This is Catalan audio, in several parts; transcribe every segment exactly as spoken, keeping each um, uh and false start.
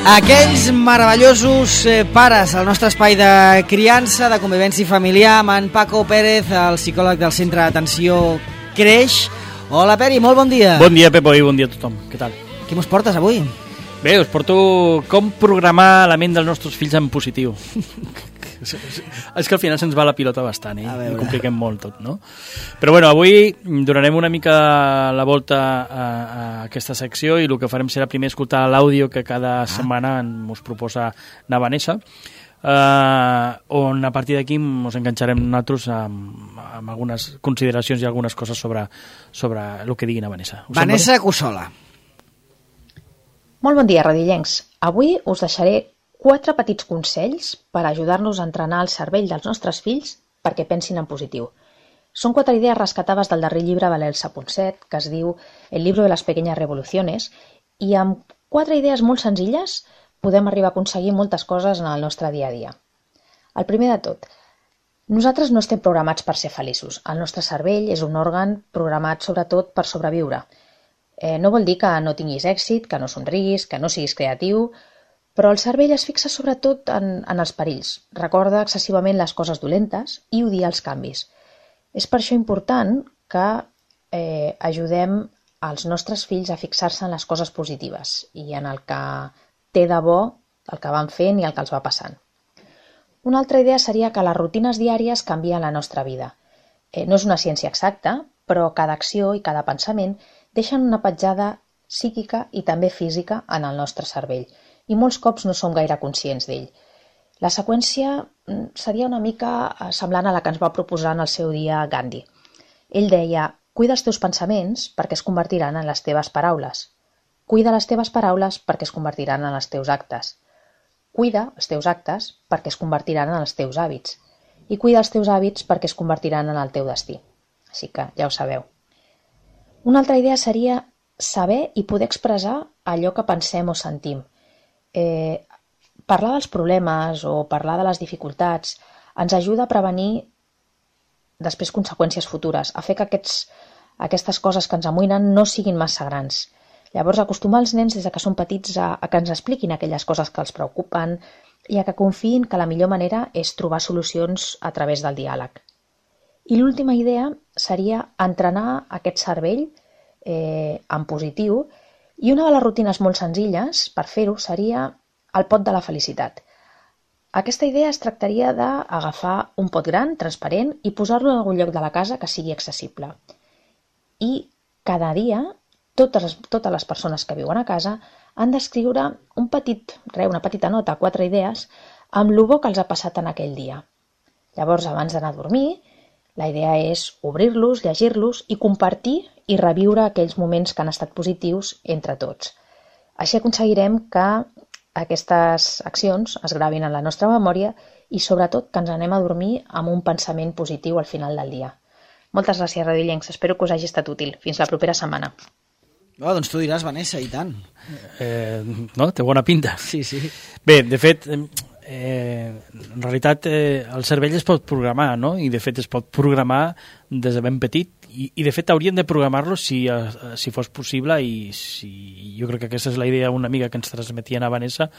Aquells meravellosos eh, pares al nostre espai de criança, de convivència familiar, amb en Paco Pérez, el psicòleg del Centre d'Atenció Creix. Hola, Peri, molt bon dia. Bon dia, Pepo, i bon dia a tothom. Què tal? Què mos portes avui? Bé, us porto com programar la ment dels nostres fills en positiu. És que al final se'ns va la pilota bastant, eh? I compliquem molt tot, no? Però bueno, avui donarem una mica la volta a, a aquesta secció i el que farem serà primer escoltar l'àudio que cada ah. setmana ens proposa na Vanessa, uh, on a partir d'aquí ens enganxarem nosaltres amb, amb algunes consideracions i algunes coses sobre, sobre el que digui na Vanessa. Us Vanessa Cossola. Molt bon dia, radiollencs. Avui us deixaré quatre petits consells per ajudar-nos a entrenar el cervell dels nostres fills perquè pensin en positiu. Són quatre idees rescatades del darrer llibre Valer-se Ponset, que es diu El libro de las pequeñas revoluciones, i amb quatre idees molt senzilles podem arribar a aconseguir moltes coses en el nostre dia a dia. El primer de tot, nosaltres no estem programats per ser feliços. El nostre cervell és un òrgan programat sobretot per sobreviure. Eh, no vol dir que no tinguis èxit, que no somriguis, que no siguis creatiu, però el cervell es fixa sobretot en, en els perills, recorda excessivament les coses dolentes i odia els canvis. És per això important que eh, ajudem als nostres fills a fixar-se en les coses positives i en el que té de bo el que van fent i el que els va passant. Una altra idea seria que les rutines diàries canvien la nostra vida. Eh, no és una ciència exacta, però cada acció i cada pensament deixen una petjada psíquica i també física en el nostre cervell, i molts cops no som gaire conscients d'ell. La seqüència seria una mica semblant a la que ens va proposar en el seu dia Gandhi. Ell deia, cuida els teus pensaments perquè es convertiran en les teves paraules. Cuida les teves paraules perquè es convertiran en els teus actes. Cuida els teus actes perquè es convertiran en els teus hàbits. I cuida els teus hàbits perquè es convertiran en el teu destí. Així que ja ho sabeu. Una altra idea seria saber i poder expressar allò que pensem o sentim. Eh, parlar dels problemes o parlar de les dificultats ens ajuda a prevenir després conseqüències futures, a fer que aquests, aquestes coses que ens amoïnen no siguin massa grans. Llavors, acostumar els nens des que són petits a, a que ens expliquin aquelles coses que els preocupen i a que confiïn que la millor manera és trobar solucions a través del diàleg. I l'última idea seria entrenar aquest cervell eh, en positiu. I una de les rutines molt senzilles per fer-ho seria el pot de la felicitat. Aquesta idea es tractaria d'agafar un pot gran, transparent, i posar-lo en algun lloc de la casa que sigui accessible. I cada dia, totes les, totes les persones que viuen a casa han d'escriure un petit, re, una petita nota, quatre idees, amb el bo que els ha passat en aquell dia. Llavors, abans d'anar a dormir, la idea és obrir-los, llegir-los i compartir i reviure aquells moments que han estat positius entre tots. Així aconseguirem que aquestes accions es gravin en la nostra memòria i sobretot que ens anem a dormir amb un pensament positiu al final del dia. Moltes gràcies, radiollencs. Espero que us hagi estat útil. Fins la propera setmana. Oh, doncs tu diràs, Vanessa, i tant. Eh, no? Té bona pinta. Sí, sí. Bé, de fet, eh, en realitat eh, el cervell es pot programar, no? I de fet es pot programar des de ben petit i, i de fet hauríem de programar-lo si, eh, si fos possible i si, jo crec que aquesta és la idea una mica que ens transmetia a Vanessa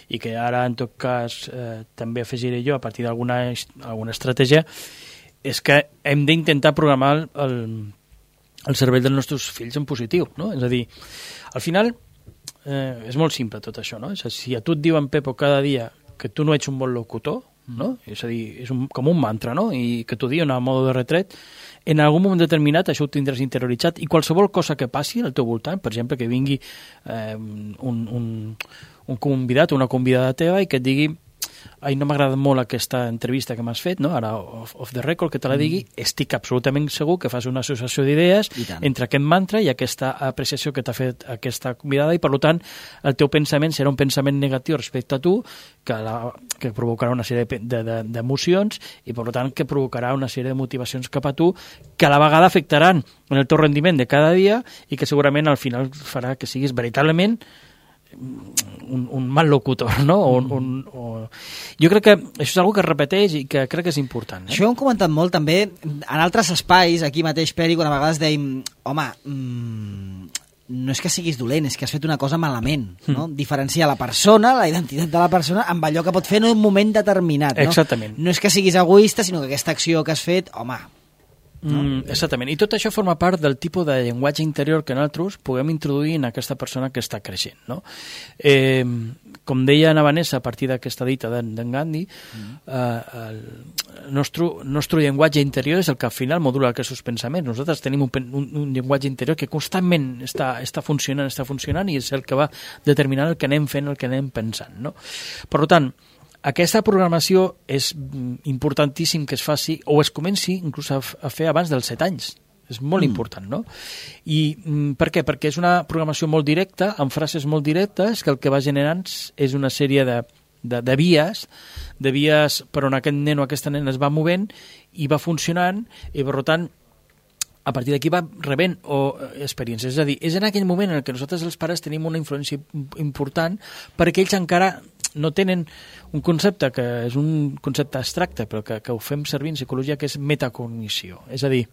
i que ara en tot cas eh, també afegiré jo a partir d'alguna alguna estratègia, és que hem d'intentar programar el, el cervell dels nostres fills en positiu, no? És a dir, al final eh, és molt simple tot això, no? És a dir, si a tu et diuen, Pepo, cada dia que tu no ets un bon locutor, no? És a dir, és un, com un mantra, no? I que t'ho diuen a modo de retret, en algun moment determinat això ho tindràs interioritzat i qualsevol cosa que passi al teu voltant, per exemple, que vingui eh, un, un, un convidat o una convidada teva i que et digui ai, no m'ha agradat molt aquesta entrevista que m'has fet, no? Ara off, off the record, que te la digui, mm. estic absolutament segur que fas una associació d'idees entre aquest mantra i aquesta apreciació que t'ha fet aquesta convidada i per tant el teu pensament serà un pensament negatiu respecte a tu que, la, que provocarà una sèrie d'emocions de, de, i per tant que provocarà una sèrie de motivacions cap a tu que a la vegada afectaran en el teu rendiment de cada dia i que segurament al final farà que siguis veritablement un, un mal locutor, no? O, mm. un, o... Jo crec que això és una que es repeteix i que crec que és important. Eh? Això ho hem comentat molt també en altres espais, aquí mateix, Peri, quan a vegades dèiem, home, mmm, no és que siguis dolent, és que has fet una cosa malament, no? Mm. Diferenciar la persona, la identitat de la persona, amb allò que pot fer en un moment determinat, no? Exactament. No és que siguis egoista, sinó que aquesta acció que has fet, home... No? Mm, exactament, i tot això forma part del tipus de llenguatge interior que nosaltres puguem introduir en aquesta persona que està creixent, no? Eh, com deia Ana Vanessa a partir d'aquesta dita d'en Gandhi, mm. eh, el nostre, nostre llenguatge interior és el que al final modula aquests pensaments. Nosaltres tenim un, un, un llenguatge interior que constantment està, està funcionant, està funcionant i és el que va determinant el que anem fent, el que anem pensant, no? Per tant, aquesta programació és importantíssim que es faci o es comenci inclús a, a fer abans dels set anys. És molt mm. important, no? I mm, per què? Perquè és una programació molt directa, amb frases molt directes, que el que va generant és una sèrie de, de, de vies, de vies per on aquest nen o aquesta nena es va movent i va funcionant, i per tant a partir d'aquí va rebent o experiències. És a dir, és en aquell moment en què nosaltres els pares tenim una influència important perquè ells encara no tenen un concepte que és un concepte abstracte, però que, que ho fem servir en psicologia, que és metacognició. És a dir,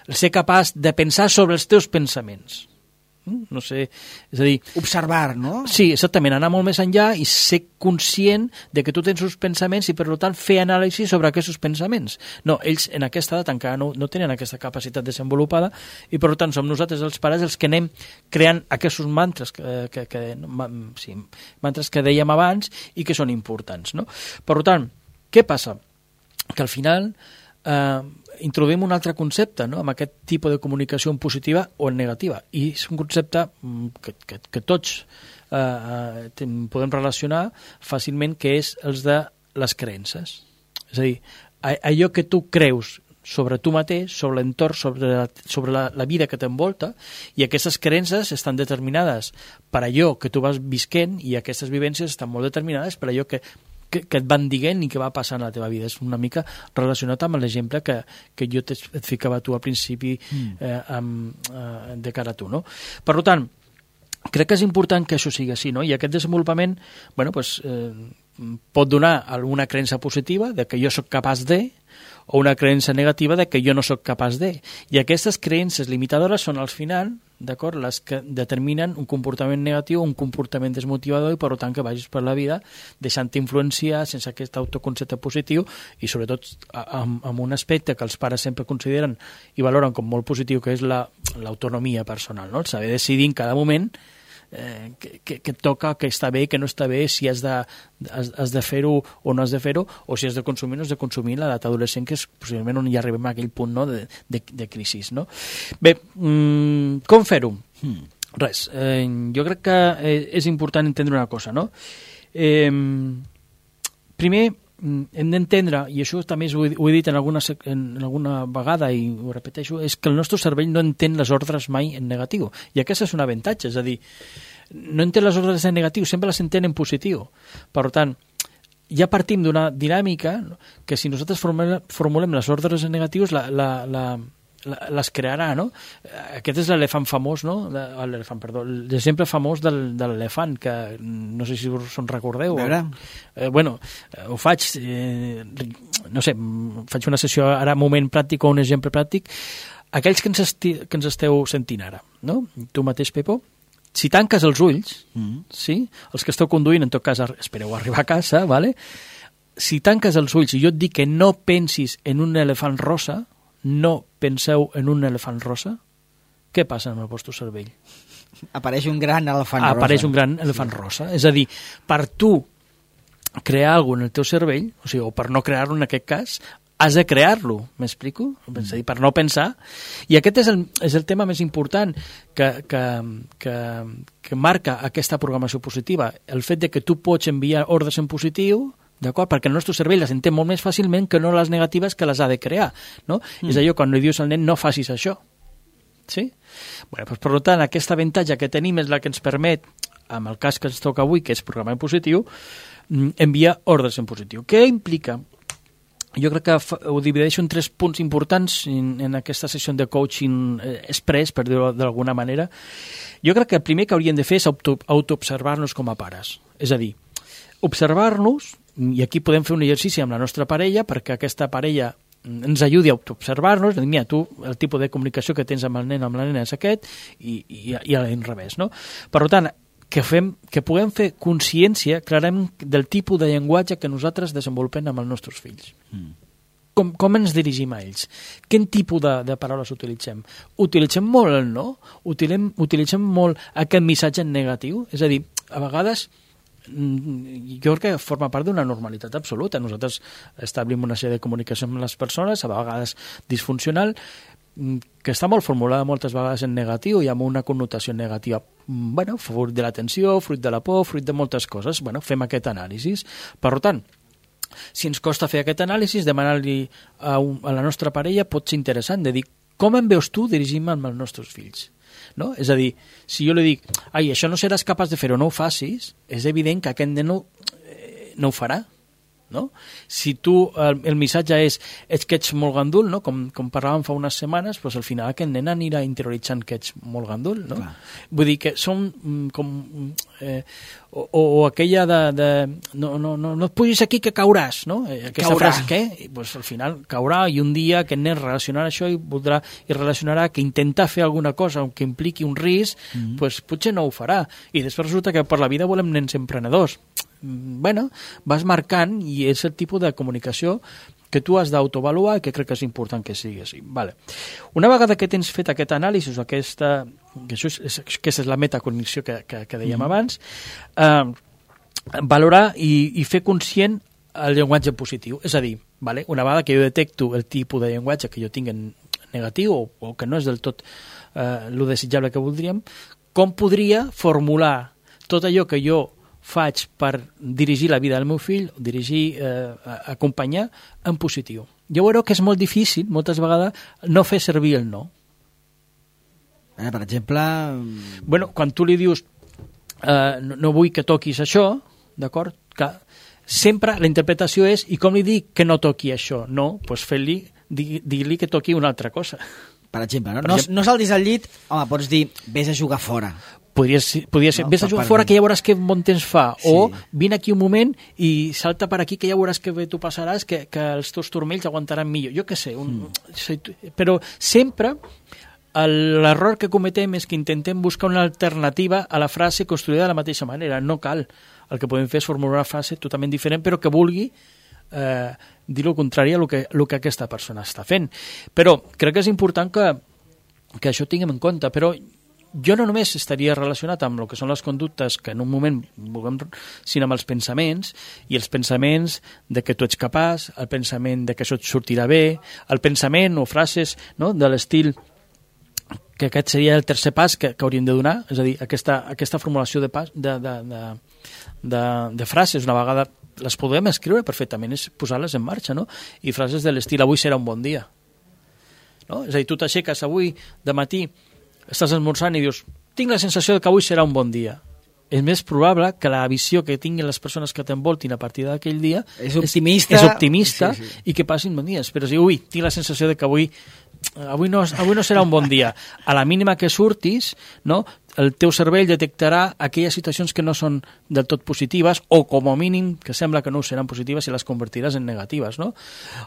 ser capaç de pensar sobre els teus pensaments. No sé, és a dir... Observar, no? Sí, exactament, anar molt més enllà i ser conscient de que tu tens uns pensaments i, per tant, fer anàlisi sobre aquests pensaments. No, ells en aquesta edat encara no, no tenen aquesta capacitat desenvolupada i, per tant, som nosaltres els pares els que anem creant aquests mantres que, que, que, sí, mantres que dèiem abans i que són importants, no? Per tant, què passa? Que al final... Eh, introduïm un altre concepte, no?, amb aquest tipus de comunicació en positiva o en negativa, i és un concepte que, que, que tots eh, podem relacionar fàcilment, que és els de les creences. És a dir, allò que tu creus sobre tu mateix, sobre l'entorn, sobre, la, sobre la, la vida que t'envolta, i aquestes creences estan determinades per allò que tu vas visquent, i aquestes vivències estan molt determinades per allò que Que, que et van dient i que va passar en la teva vida. És una mica relacionat amb l'exemple que, que jo et ficava tu al principi eh, amb, eh, de cara a tu, no? Per tant, crec que és important que això sigui així, no? I aquest desenvolupament, bueno, pues, eh, pot donar alguna creença positiva de que jo sóc capaç de, o una creença negativa de que jo no sóc capaç de. I aquestes creences limitadores són al final, d'acord, les que determinen un comportament negatiu, un comportament desmotivador, i per tant que vagis per la vida deixant-te influenciar sense aquest autoconcepte positiu, i sobretot amb, amb un aspecte que els pares sempre consideren i valoren com molt positiu, que és la, l'autonomia personal, no? El saber decidir en cada moment eh, que, que, que et toca, que està bé, que no està bé, si has de, has, has de fer-ho o no has de fer-ho, o si has de consumir o no has de consumir l'edat adolescent, que és possiblement on ja arribem a aquell punt, no?, de, de, de crisi, no? Bé, mmm, com fer-ho? Hmm. Res, eh, jo crec que és important entendre una cosa, no? Eh, primer, hem d'entendre, i això també ho he, ho he dit en alguna, en alguna vegada i ho repeteixo, és que el nostre cervell no entén les ordres mai en negatiu, i aquest és un avantatge, és a dir, no entén les ordres en negatiu, sempre les entén en positiu. Per tant, ja partim d'una dinàmica que si nosaltres formulem, formulem les ordres en negatius, la, la, la, les crearà, no? Aquest és l'elefant famós, no? L'elefant, perdó, l'exemple famós del, de l'elefant, que no sé si us en recordeu. A veure. Eh, bueno, ho faig, eh, no sé, faig una sessió ara, moment pràctic o un exemple pràctic. Aquells que ens, esti, que ens esteu sentint ara, no? Tu mateix, Pepo, si tanques els ulls, mm. sí? Els que esteu conduint, en tot cas, espereu arribar a casa, vale? Si tanques els ulls i jo et dic que no pensis en un elefant rosa, no penseu en un elefant rosa, què passa amb el vostre cervell? Apareix un gran elefant rosa. Apareix un gran elefant sí. rosa. És a dir, per tu crear alguna cosa en el teu cervell, o sigui, o per no crear-lo en aquest cas, has de crear-lo, m'explico? Mm. És a dir, per no pensar. I aquest és el, és el tema més important que, que, que, que marca aquesta programació positiva. El fet de que tu pots enviar ordres en positiu, d'acord? Perquè el nostre cervell les entén molt més fàcilment que no les negatives que les ha de crear, no? Mm. És allò quan li dius al nen no facis això, sí? Bueno, doncs, per tant, aquest avantatge que tenim és la que ens permet, amb el cas que ens toca avui, que és programar en positiu, enviar ordres en positiu. Què implica? Jo crec que ho divideixo en tres punts importants en, en aquesta sessió de coaching express, per dir-ho d'alguna manera. Jo crec que el primer que hauríem de fer és auto, autoobservar-nos com a pares. És a dir, observar-nos, i aquí podem fer un exercici amb la nostra parella, perquè aquesta parella ens ajudi a observar-nos, dir, mira, tu, el tipus de comunicació que tens amb el nen, amb la nena és aquest, i, i, i a l'inrevés, no? Per tant, que, fem, que puguem fer consciència clarament del tipus de llenguatge que nosaltres desenvolupem amb els nostres fills. Mm. Com, com ens dirigim a ells? Quin tipus de, de paraules utilitzem? Utilitzem molt el no? Utilitzem, utilitzem molt aquest missatge negatiu? És a dir, a vegades jo crec que forma part d'una normalitat absoluta. Nosaltres establim una sèrie de comunicació amb les persones, a vegades disfuncional, que està molt formulada moltes vegades en negatiu i amb una connotació negativa. Bueno, fruit de la tensió, fruit de la por, fruit de moltes coses. Bueno, fem aquest anàlisi. Per tant, si ens costa fer aquest anàlisi, demanar-li a, un, a la nostra parella pot ser interessant, de dir, com em veus tu dirigint-me amb els nostres fills? No? És a dir, si jo li dic, ai, això no seràs capaç de fer-ho, no ho facis, és evident que aquest nen no, eh, no ho farà. No? Si tu, el, el missatge és ets que ets molt gandul, no? com, com parlàvem fa unes setmanes, doncs al final aquest nen anirà interioritzant que ets molt gandul. No? Vull dir que són com... Eh, o, o aquella de... de no, no, no, no et pugis aquí que cauràs, no? Aquesta caurà. Frase, què? Pues al final caurà i un dia aquest nen relacionarà això i voldrà i relacionarà que intentar fer alguna cosa que impliqui un risc, mm-hmm. pues, potser no ho farà. I després resulta que per la vida volem nens emprenedors. Bueno, vas marcant i és el tipus de comunicació que tu has d'autoavaluar i que crec que és important que sigui així. Vale. Una vegada que tens fet aquest anàlisi, aquesta, que això és, és, aquesta és la metacognició que, que, que dèiem mm. abans, eh, valorar i, i fer conscient el llenguatge positiu. És a dir, vale, una vegada que jo detecto el tipus de llenguatge que jo tinc en negatiu o, o que no és del tot eh, lo desitjable que voldríem, com podria formular tot allò que jo faig per dirigir la vida del meu fill, dirigir, eh, acompanyar en positiu. Jo veuré que és molt difícil, moltes vegades, no fer servir el no. Eh, per exemple... Bueno, quan tu li dius eh, no, no vull que toquis això, d'acord? Que sempre la interpretació és i com li dic que no toqui això? No, doncs fer-li, dir-li que toqui una altra cosa. Per exemple, no, per no, exemple, no saltis al llit, home, pots dir vés a jugar fora. Podria ser, podria ser. No, vés a jugar fora que ja veuràs que bon temps fa, sí. O vine aquí un moment i salta per aquí que ja veuràs que bé tu passaràs, que, que els teus turmells aguantaran millor. Jo què sé, un, mm. però sempre l'error que cometem és que intentem buscar una alternativa a la frase construïda de la mateixa manera. No cal. El que podem fer és formular una frase totalment diferent, però que vulgui eh, dir el contrari a el que, el que aquesta persona està fent. Però crec que és important que, que això tinguem en compte, però jo no només estaria relacionat amb el que són les conductes que en un moment vulguem, sinó amb els pensaments, i els pensaments de que tu ets capaç, el pensament de que això et sortirà bé, el pensament o frases, no?, de l'estil que aquest seria el tercer pas que, que hauríem de donar, és a dir, aquesta, aquesta formulació de, pas, de, de, de, de, de frases, una vegada les podem escriure perfectament, és posar-les en marxa, no? I frases de l'estil avui serà un bon dia. No? És a dir, tu t'aixeques avui de matí, estàs esmorzant i dius, tinc la sensació que avui serà un bon dia. És més probable que la visió que tinguin les persones que t'envoltin a partir d'aquell dia és optimista, és, és optimista sí, sí. I que passin bons dies. Però si ui, tinc la sensació de que avui, avui, no, avui no serà un bon dia. A la mínima que surtis, no, el teu cervell detectarà aquelles situacions que no són del tot positives o com a mínim que sembla que no seran positives i les convertiràs en negatives. No?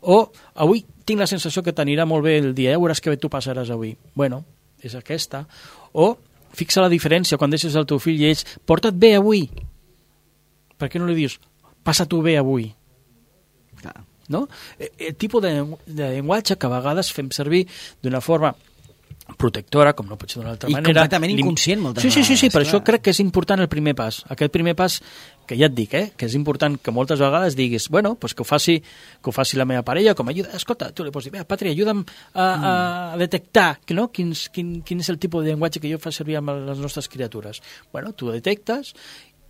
O avui tinc la sensació que t'anirà molt bé el dia, ja veuràs que bé tu passaràs avui. Bueno, és aquesta. O fixa la diferència quan deixes el teu fill i ells, porta't bé avui. Per què no li dius, passa tu bé avui? Clar. No? El tipus de, de llenguatge que a vegades fem servir d'una forma protectora, com no pot ser d'una altra I manera. I completament inconscient moltes sí, sí, sí, sí, vegades. per clar. això crec que és important el primer pas. Aquest primer pas, que ja et dic, eh, que és important que moltes vegades diguis, bueno, pues que ho faci que ho faci la meva parella, com a ajuda. Escolta, tu li pots dir, Patri, ajuda'm a, a, a detectar no? Quins, quin, quin és el tipus de llenguatge que jo fa servir amb les nostres criatures. Bueno, tu ho detectes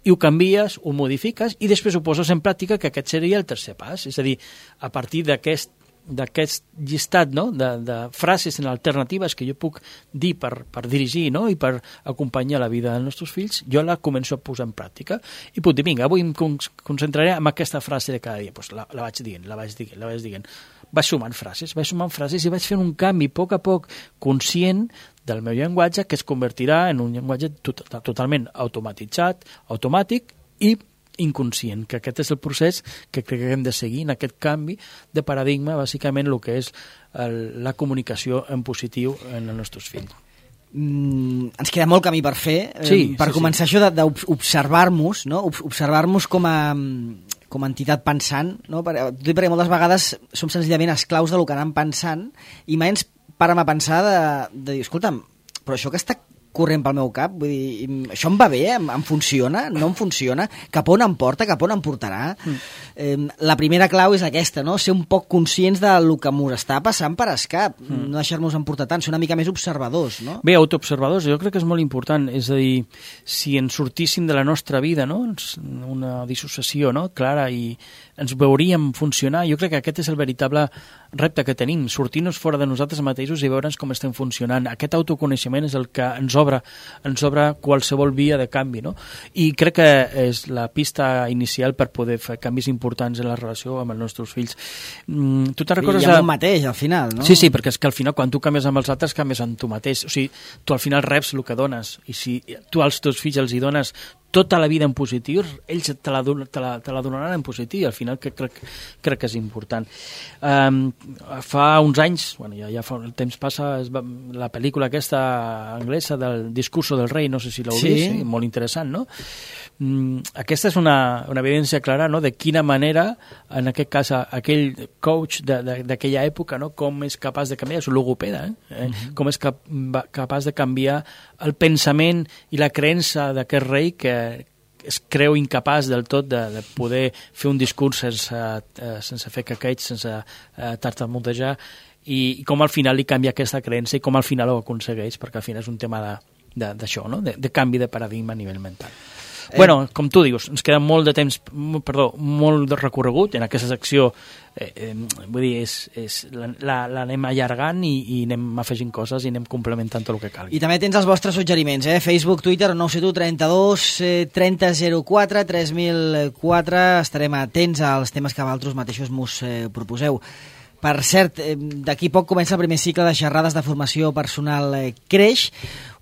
i ho canvies, ho modifiques i després ho poses en pràctica, que aquest seria el tercer pas. És a dir, a partir d'aquest d'aquest llistat no? de, de frases en alternatives que jo puc dir per, per dirigir no? I per acompanyar la vida dels nostres fills, jo la començo a posar en pràctica i puc dir, vinga, avui em concentraré en aquesta frase de cada dia. Pues la, la vaig dient, la vaig dient, la vaig dient. Vaig sumant frases, vaig sumant frases i vaig fent un canvi a poc a poc conscient del meu llenguatge que es convertirà en un llenguatge tot, totalment automatitzat, automàtic i inconscient, que aquest és el procés que crec que hem de seguir en aquest canvi de paradigma, bàsicament el que és el, la comunicació en positiu en els nostres fills. Mm, ens queda molt camí per fer, sí, eh, per sí, començar sí. això d'observar-nos, no? observar-nos com a, com a entitat pensant, no? perquè, perquè moltes vegades som senzillament esclaus del que anem pensant i mai ens parem a pensar de, de dir, escolta'm, però això que està corrent pel meu cap, vull dir, això em va bé, em, em funciona, no em funciona, cap on em porta, cap on em portarà. Mm. Eh, la primera clau és aquesta, no? Ser un poc conscients del que m'ho està passant per escap, mm. no deixar-nos emportar tant, ser una mica més observadors, no? Bé, autoobservadors, jo crec que és molt important, és a dir, si ens sortíssim de la nostra vida, no? Una dissociació, no? Clara, i ens veuríem funcionar, jo crec que aquest és el veritable repte que tenim, sortir-nos fora de nosaltres mateixos i veure'ns com estem funcionant. Aquest autoconeixement és el que ens obre, ens obre qualsevol via de canvi, no? I crec que és la pista inicial per poder fer canvis importants en la relació amb els nostres fills. Mm, tu te'n recordes... I amb un mateix, al final, no? Sí, sí, perquè és que al final, quan tu canvies amb els altres, canvies amb tu mateix. O sigui, tu al final reps el que dones, i si tu als teus fills els hi dones tota la vida en positiu, ells te la, te la, te la donaran en positiu, al final que crec, crec que és important. Um, fa uns anys, bueno, ja, ja fa, el temps passa, es va, la pel·lícula aquesta anglesa del Discurso del Rei, no sé si l'heu sí. vist, sí, molt interessant, no? Mm, aquesta és una, una evidència clara, no?, de quina manera, en aquest cas, aquell coach d'aquella època, no?, com és capaç de canviar, és un logopeda, eh? eh? Mm-hmm. Com és cap, capaç de canviar el pensament i la creença d'aquest rei que es creu incapaç del tot de, de poder fer un discurs sense, eh, sense fer caqueig, sense eh, tartamudejar, i, i com al final li canvia aquesta creença i com al final ho aconsegueix, perquè al final és un tema d'això, no? de, de canvi de paradigma a nivell mental. Eh. Bueno, com tu dius, ens queda molt de temps, perdó, molt de recorregut en aquesta secció, eh, eh, vull dir, és, és, l'anem allargant i, i anem afegint coses i anem complementant tot el que calgui. I també tens els vostres suggeriments, eh? Facebook, Twitter, nou set u trenta-dos trenta zero quatre tres mil quatre, estarem atents als temes que vosaltres mateixos mos eh, proposeu. Per cert, d'aquí poc comença el primer cicle de xerrades de formació personal Creix,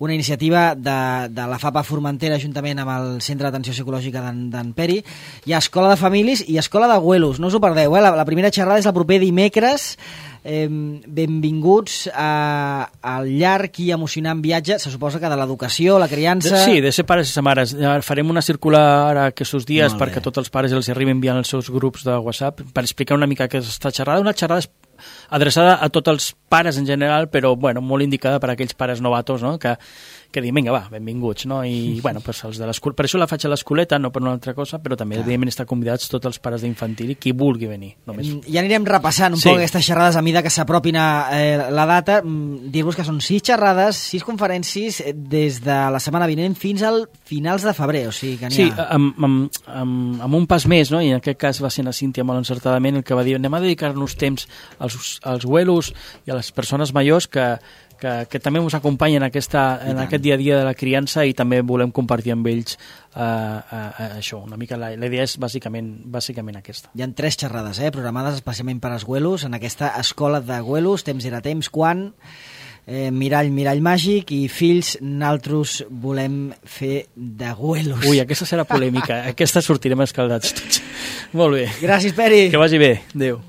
una iniciativa de, de la FAPA Formentera juntament amb el Centre d'Atenció Psicològica d'en Peri. Hi ha Escola de Famílies i Escola d'Abuelos, no us ho perdeu, eh? La, la primera xerrada és el proper dimecres. Eh, benvinguts a, al llarg i emocionant viatge, se suposa que de l'educació, la criança... Sí, de ser pares i ser mares. Farem una circular aquests dies perquè tots els pares els arribin enviant els seus grups de WhatsApp per explicar una mica aquesta xerrada. Una xerrada adreçada a tots els pares en general, però bueno, molt indicada per a aquells pares novatos, no?, que, que diuen, vinga, va, benvinguts, no? I, bueno, pues els de l'escola, per això la faig a l'escoleta, no per una altra cosa, però també, clar, evidentment, estan convidats tots els pares d'infantil i qui vulgui venir. Només. Ja anirem repassant un sí. poc aquestes xerrades a mida que s'apropin a eh, la data. Dir-vos que són sis xerrades, sis conferències des de la setmana vinent fins al finals de febrer, o sigui que n'hi ha... Sí, amb, amb, amb, amb un pas més, no? I en aquest cas va ser la Cíntia molt encertadament el que va dir, anem a dedicar-nos temps als, als abuelos i a les persones majors que, que, que també ens acompanyen aquesta, en aquest dia a dia de la criança i també volem compartir amb ells uh, uh, uh, això, una mica la, la idea és bàsicament, bàsicament aquesta. Hi ha tres xerrades eh, programades especialment per als abuelos en aquesta escola d'abuelos, temps era temps, quan... Eh, mirall, mirall màgic i fills, naltros volem fer d'abuelos. Ui, aquesta serà polèmica, aquesta sortirem escaldats tots. Molt bé. Gràcies, Peri. Que vagi bé. Adéu.